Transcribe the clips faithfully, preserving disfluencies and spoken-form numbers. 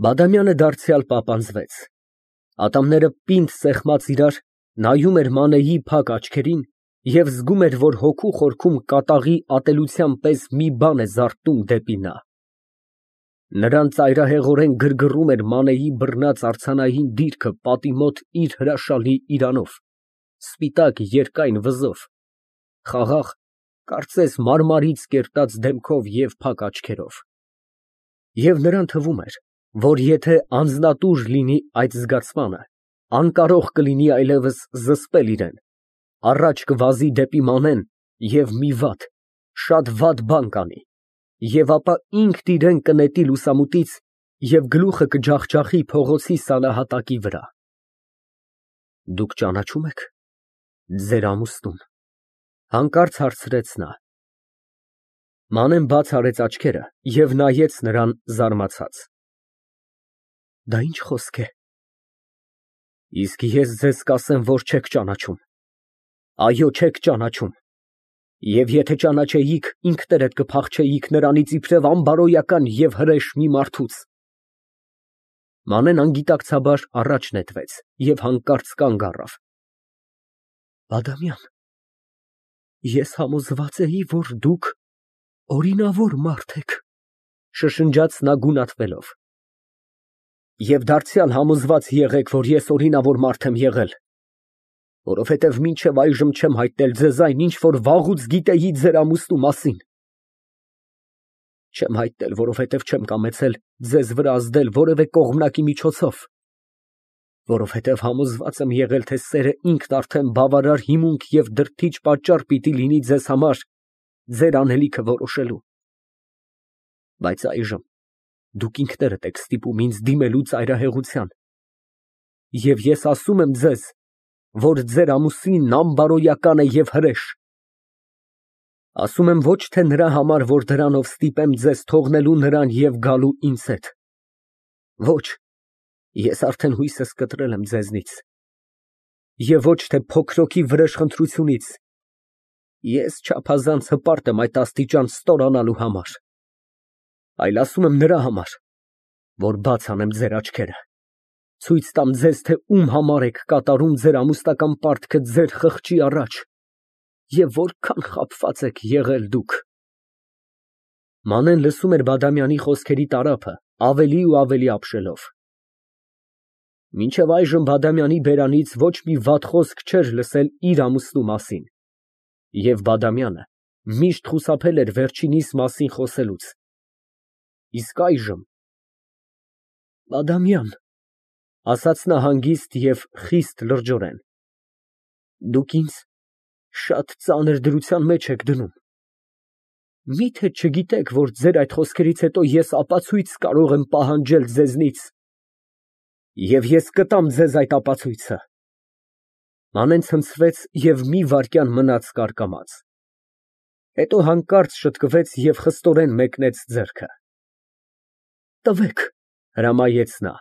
Բադամյանը դարձյալ պապանձվեց, ատամները պինդ սեղմած իրար, նայում էր Մանեի փակ աչքերին և զգում էր, որ հոգու խորքում կատաղի ատելության պես մի բան է զարթնում դեպի նա։ Նրան ծայրահեղորեն գրգռում էր Մանեի բռնած արձանային դիրքը պատի մոտ իր հրաշալի իրանով, սպիտակ երկայն վզով, խաղաղ, կարծես մարմարից կերտած դեմքով և փակ աչքերով։ Եվ նրան թվում էր, որ եթե անձնատուր լինի այդ զգացմանը, անկարող կլինի այլևս զսպել իրան, առաջ կվազի դեպի Մանեն և մի վատ, շատ վատ բան կանի, և ապա ինքն իրան կնետի լուսամուտից և գլուխը կջախջախի փողոցի սանահատակի վրա։ Դուք ճանաչո՞ւմ եք ձեր ամուսնուն, ֊ հանկարծ հարցրեց նա։ Մանեն բաց արեց աչքերը և նայեց նրան զարմացած։ Դա ի՞նչ խոսք է։ Իսկ ես ձեզ կասեմ, որ չեք ճանաչում, այո, չեք ճանաչում, և եթե ճանաչեիք, ինքներդ կփախչեիք նրանից իբրև անբարոյական և հրեշ մի մարդուց։ Մանեն անգիտակցաբար առաջ նետվեց և հանկարծ կանգ առավ։ Բադամյան, ես համոզված էի, որ դուք օրինավոր մարդ եք, շշնջաց նա գունատվելով։ Եվ դարձյալ համոզված եղեք, որ ես օրինավոր մարդ եմ եղել, որովհետև մինչև այժմ չեմ հայտնել ձեզ այն, ինչ որ վաղուց գիտեի ձեր ամուսնու մասին։ Չեմ հայտնել, որովհետև չեմ կամեցել ձեզ վրա ազդել որևէ կողմնակի միջոցով, որովհետև համոզված եմ եղել, թե սերը ինքն արդեն բավարար հիմունք և դրդիչ պատճառ պիտի լինի ձեզ համար ձեր անելիքը որոշելու։ Բայց այժմ դուք ինքներդ եք ստիպում ինձ դիմելու ծայրահեղության, և ես ասում եմ ձեզ, որ ձեր ամուսինն անբարոյական է և հրեշ։ Ասում եմ ոչ թե նրա համար, որ դրանով ստիպեմ ձեզ թողնելու նրան և գալու ինձ հետ։ Ոչ, ես արդեն հույսս կտրել եմ ձեզնից։ Եվ ոչ թե փոքրոցի վրեժխնդրությունից, ես չափազանց հպարտ եմ այդ աստիճան ստորանալու համար, այլ ասում եմ նրա համար, որ բաց անեմ ձեր աչքերը, ցույց տամ ձեզ, թե ում համար եք կատարում ձեր ամուսնական պարտքը ձեր խղճի առաջ և որքան խաբված եք եղել դուք։ Մանեն լսում էր Բադամյանի խոսքերի տարափը ավելի ու ավելի ապշելով։ Մինչև այժմ Բադամյանի բերանից ոչ մի վատ խոսք չէր լսել իր ամուսնու մասին, և Բադամյանը միշտ խուսափել էր վերջինիս մասին խոսելուց։ Իսկ այժմ… ֊ Բադամյան, ֊ ասաց նա հանգիստ և խիստ լրջորեն, ֊ դուք ինձ շատ ծանր դրության մեջ եք դնում։ Մի՞թե չգիտեք, որ ձեր այդ խոսքերից հետո ես ապացույց կարող եմ պահանջել ձեզնից, և ես կտամ ձեզ այդ ապացույցը։ Մանեն ցնցվեց և մի վայրկյան մնաց կարկամած, հետո հանկարծ շտկվեց և խստորեն մեկնեց ձեռքը։ Տվեք, ֊ հրամայեց նա։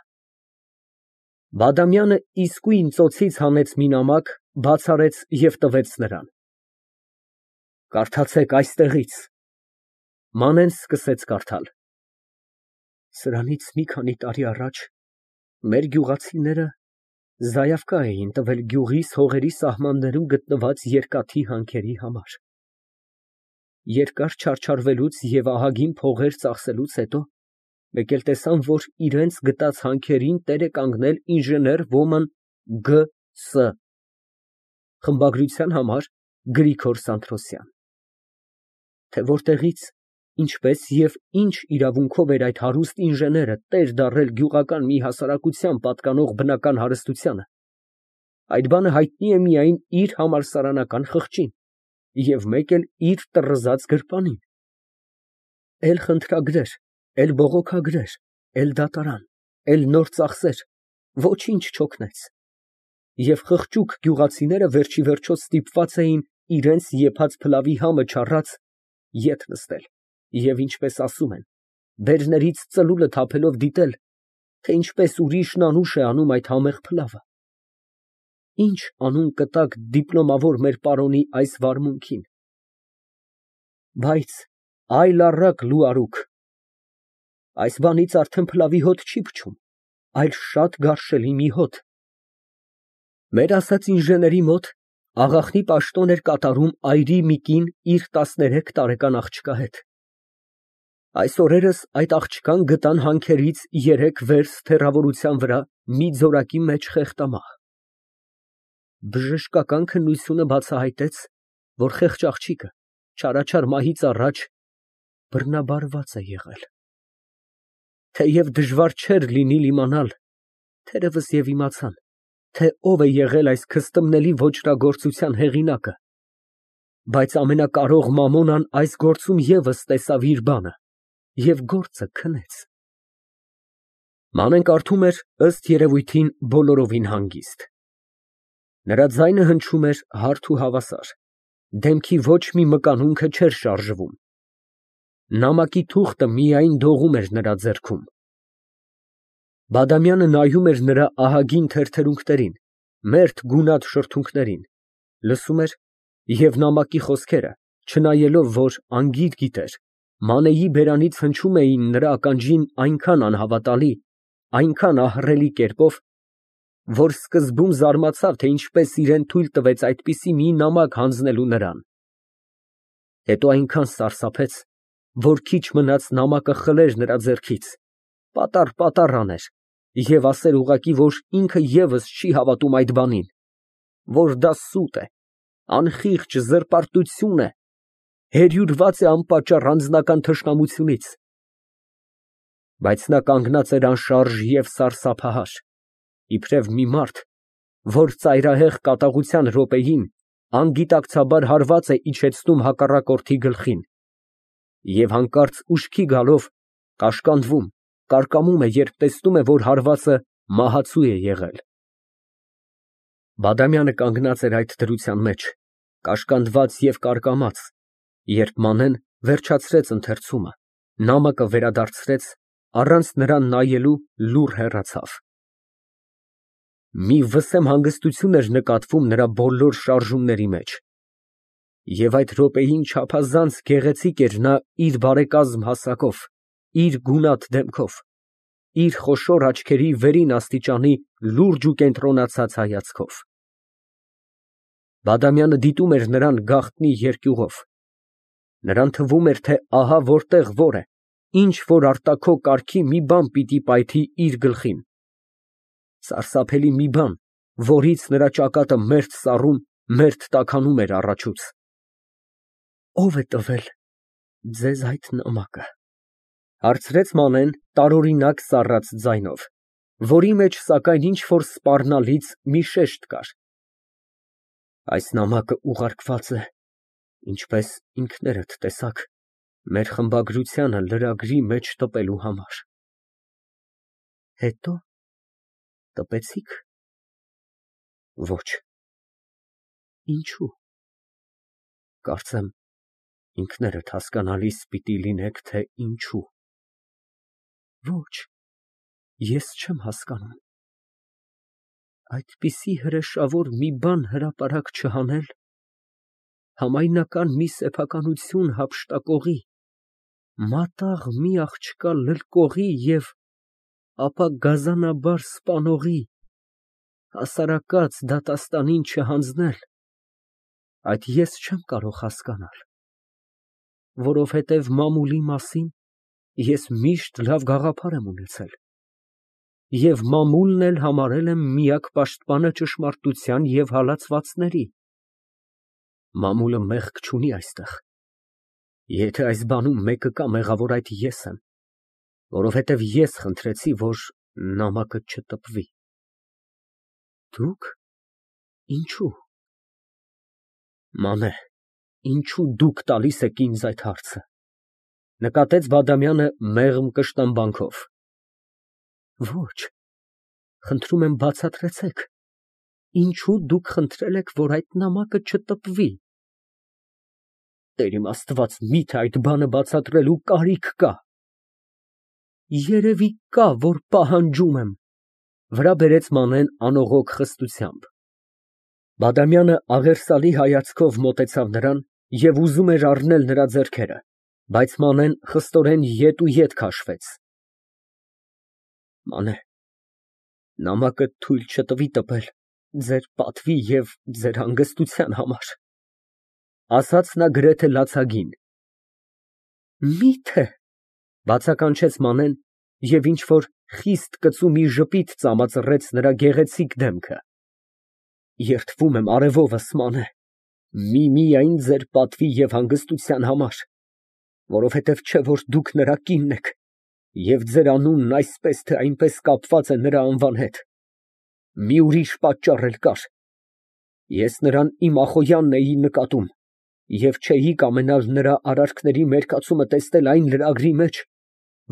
Բադամյանը իսկույն ծոցից հանեց մի նամակ, բաց արեց և տվեց նրան։ Կարդացեք այստեղից։ Մանեն սկսեց կարդալ. Սրանից մի քանի տարի առաջ մեր գյուղացիները զայավկա էին տվել գյուղիս հողերի սահմաններում գտնված երկաթի հանքերի համար։ Երկար չարչարվելուց և ահագին փողեր ծախսելուց հետո մեկ էլ տեսան, որ իրենց գտած հանքերին տեր է կանգնել ինժեներ Ոմն Գ. Ս. խմբագրության համար Գրիգոր Սանթրոսյան։ Թե որտեղից, ինչպես և ինչ իրավունքով էր այդ հարուստ ինժեները տեր դառել գյուղական մի հասարակության պատկանող բնական հարստությանը, այդ բանը հայտնի է միայն իր համալսարանական խղճին և մեկ էլ իր տռզած գրպանին։ Էլ խնդրագրեր, էլ բողոքագրեր, էլ դատարան, էլ նոր ծախսեր, ոչինչ չօգնեց, և խղճուկ գյուղացիները վերջիվերջո ստիպված էին իրենց եփած փլավի համը չառած ետ նստել և, ինչպես ասում են, բերներից ծլուլը թափելով դիտել, թե ինչպես ուրիշն անուշ է անում այդ համեղ փլավը։ Ի՞նչ անուն կտաք դիպլոմավոր մեր պարոնի այս վարմունքին։ Բայց այլ առակ լու արուք։ Այս բանից արդեն փլավի հոտ չի փչում, այլ շատ գարշելի մի հոտ։ Մեր ասած ինժեների մոտ աղախնի պաշտոն էր կատարում այրի մի կին իր տասներեք տարեկան աղջկա հետ։ Այս օրերս այդ աղջկան գտան հանքերից երեք վերստ հեռավորության վրա մի ձորակի մեջ խեղդամահ։ Բժշկական քննությունը բացահայտեց, որ խեղճ աղջիկը չարաչար մահից առաջ բռնաբարված է եղել։ Թեև դժվար չէր լինիլ իմանալ, թերևս և իմացան, թե ով է եղել այս քստմնելի ոճրագործության հեղինակը, բայց ամենակարող Մամոնան այս գործում ևս տեսավ իր բանը և գործը քնեց։ Մանեն կարդում էր, ըստ երևույթին, բոլորովին հանգիստ։ Նրա ձայնը հնչում էր հարթ ու հավասար, դեմքի ոչ մի մկանունքը չէր շարժվում։ Նամակի թուղթը միայն դողում էր նրա ձեռքում։ Բադամյանը նայում էր նրա ահագին թերթերունքներին, մերթ գունատ շրթունքներին, լսում էր և նամակի խոսքերը, չնայելով, որ անգիր գիտեր, Մանեի բերանից հնչում էին նրա ականջին այնքան անհավատալի, այնքան ահռելի կերպով, որ սկզբում զարմացավ, թե ինչպես իրան թույլ տվեց այդպիսի մի նամակ հանձնելու նրան, հետո այնքան սարսափեց, որ քիչ մնաց նամակը խլեր նրա ձեռքից, պատառ֊պատառ աներ և ասեր ուղղակի, որ ինքը ևս չի հավատում այդ բանին, որ դա սուտ է, անխիղճ զրպարտություն է, հերյուրված է անպատճառ անձնական թշնամությունից։ Բայց նա կանգնած էր անշարժ և սարսափահար, իբրև մի մարդ, որ ծայրահեղ կատաղության րոպեին անգիտակցաբար հարված է իջեցնում հակառակորդի գլխին և հանկարծ ուշքի գալով կաշկանդվում, կարկամում է, երբ տեսնում է, որ հարվածը մահացու է եղել։ Բադամյանը կանգնած էր այդ դրության մեջ, կաշկանդված և կարկամած, երբ Մանեն վերջացրեց ընթերցումը, նամակը վերադարձրեց, առանց նրան նայելու լուռ հեռացավ։ Մի վսեմ հանգստություն էր նկատվում նրա բոլոր շարժումների մեջ, և այդ րոպեին չափազանց գեղեցիկ էր նա իր բարեկազմ հասակով, իր գունատ դեմքով, իր խոշոր աչքերի վերին աստիճանի լուրջ ու կենտրոնացած հայացքով։ Բադամյանը դիտում էր նրան գաղտնի երկյուղով, նրան թվում էր, թե ահա որտեղ որ է, ինչ֊որ արտաքո կարգի մի բան պիտի պայթի իր գլխին, սարսափելի մի բան, որից նրա ճակատը մերթ սառում, մերթ տաքանում էր առաջուց։ Ո՞վ է տվել ձեզ այդ նամակը, ֊ հարցրեց Մանեն տարօրինակ սառած ձայնով, որի մեջ, սակայն, ինչ֊որ սպառնալից մի շեշտ կար։ Այս նամակը ուղարկված է, ինչպես ինքներդ տեսաք, մեր խմբագրությանը լրագրի մեջ տպելու համար։ Հետո տպեցի՞ք։ Ոչ։ Ինչո՞ւ։ Կարծեմ, ինքներդ հասկանալիս պիտի լինեք, թե ինչու։ Ոչ, ես չեմ հասկանում։ Այդպիսի հրեշավոր մի բան հրապարակ չհանել, համայնական մի սեփականություն հափշտակողի, մատաղ մի աղջկա լլկողի և ապա գազանաբար սպանողի հասարակած դատաստանին չհանձնել, այդ ես չեմ կարող հասկանալ, որովհետև մամուլի մասին ես միշտ լավ գաղափար եմ ունեցել և մամուլն էլ համարել եմ միակ պաշտպանը ճշմարտության և հալածվածների։ Մամուլը մեղք չունի այստեղ, եթե այս բանում մեկը կա, մեղավոր այդ ես եմ, որովհետև ես խնդրեցի, որ նամակը չտպվի։ Դուք։ Ինչո՞ւ։ Մանե, ինչո՞ւ դուք տալիս եք ինձ այդ հարցը, ֊ նկատեց Բադամյանը մեղմ կշտամբանքով։ Ոչ, խնդրում եմ բացատրեցեք, ինչո՞ւ դուք խնդրել եք, որ այդ նամակը չտպվի։ Տեր իմ Աստված, միթե այդ բանը բացատրելու կարիք կա։ Երևի կա, որ պահանջում եմ, ֊ վրա բերեց Մանեն անողոք խստությամբ։ Բադամյանը աղերսալի հայացքով մոտեցավ նրան և ուզում էր առնել նրա ձեռքերը, բայց Մանեն խստորեն ետ ու ետ քաշվեց, Մանե, նամակը թույլ չտվի տպել ձեր պատվի և ձեր հանգստության համար, ասաց նա գրեթե լացագին։ Մի՞թե, բացականչեց Մանեն և ինչ֊որ խիստ կծու մի ժպիտ ծամածռեց նրա գեղեցիկ դեմքը։ Երդվում եմ արևովս, Մանե, միմիայն ձեր պատվի և հանգստության համար, որովհետև չէ որ դուք նրա կինն եք, և ձեր անունն այսպես թե այնպես կապված է նրա անվան հետ, մի ուրիշ պատճառ էլ կար. ես նրան իմ Ախոյանն էի նկատում և չէի կամենալ նրա արարքների մերկացումը տեսնել այն լրագրի մեջ,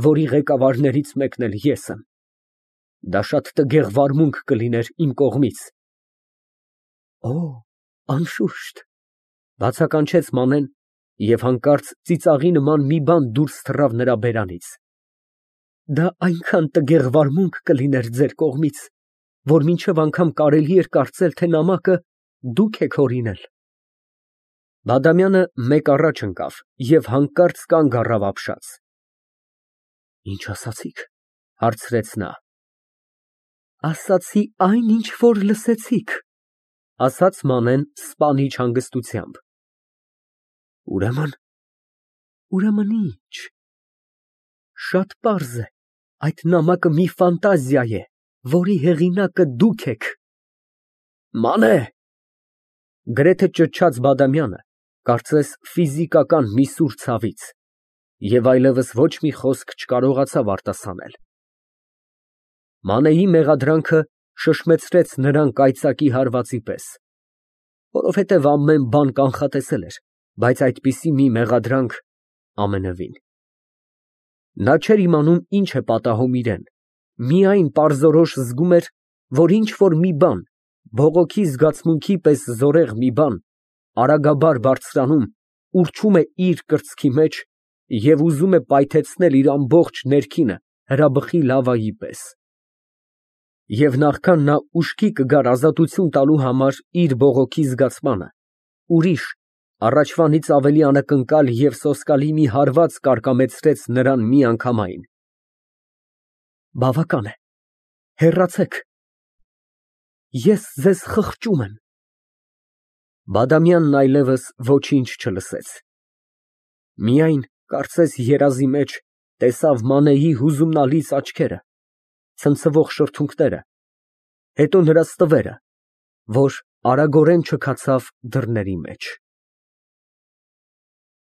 որի ղեկավարներից մեկն էլ ես եմ. դա շատ տգեղ վարմունք կլիներ իմ կողմից։ Օ, անշուշտ, բացականչեց Մանեն և հանկարծ ծիծաղի նման մի բան դուրս թռավ նրա բերանից։ Դա այնքան տգեղ վարմունք կլիներ ձեր կողմից, որ մինչև անգամ կարելի էր կարծել, թե նամակը դուք եք հորինել։ Բադամյանը մեկ առաջ ընկավ և հանկարծ կանգ առավ ապշած։ Ինչ ասացիք, հարցրեց նա։ Ասացի այն, ինչ որ լսեցիք, ասաց Մանեն սպանիչ հանգստությամբ։ Ուրեմն, ուրեմն ի՞նչ։ Շատ պարզ է, այդ նամակը մի ֆանտազիա է, որի հեղինակը դուք եք։ Մանե… գրեթե ճչաց Բադամյանը, կարծես ֆիզիկական մի սուր ցավից, և այլևս ոչ մի խոսք չկարողացավ արտասանել։ Մանեի մեղադրանքը շշմեցրեց նրան կայծակի հարվածի պես, որովհետև ամեն բան կանխատեսել էր, բայց այդպիսի մի մեղադրանք ամենևին։ Նա չէր իմանում ինչ է պատահում իրան, միայն պարզորոշ զգում էր, որ ինչ֊որ մի բան, բողոքի զգացմունքի պես զորեղ մի բան, արագաբար բարձրանում, ուռչում է իր կրծքի մեջ և ուզում է պայթեցնել իր ամբողջ ներքինը հրաբխի լավայի պես։ Եվ նախքան նա ուշքի կգար ազատություն տալու համար իր բողոքի զգացմանը, ուրիշ, առաջվանից ավելի անակնկալ և սոսկալի մի հարված կարկամեցրեց նրան միանգամայն։ Բավական է, հեռացեք, ես ձեզ խղճում եմ։ Բադամյանն այլևս ոչինչ չլսեց, միայն, կարծես երազի մեջ, տեսավ Մանեի հուզումնալից աչքերը, ցնցվող շրթունքները, հետո նրա ստվերը, որ արագորեն չքացավ դռների մեջ։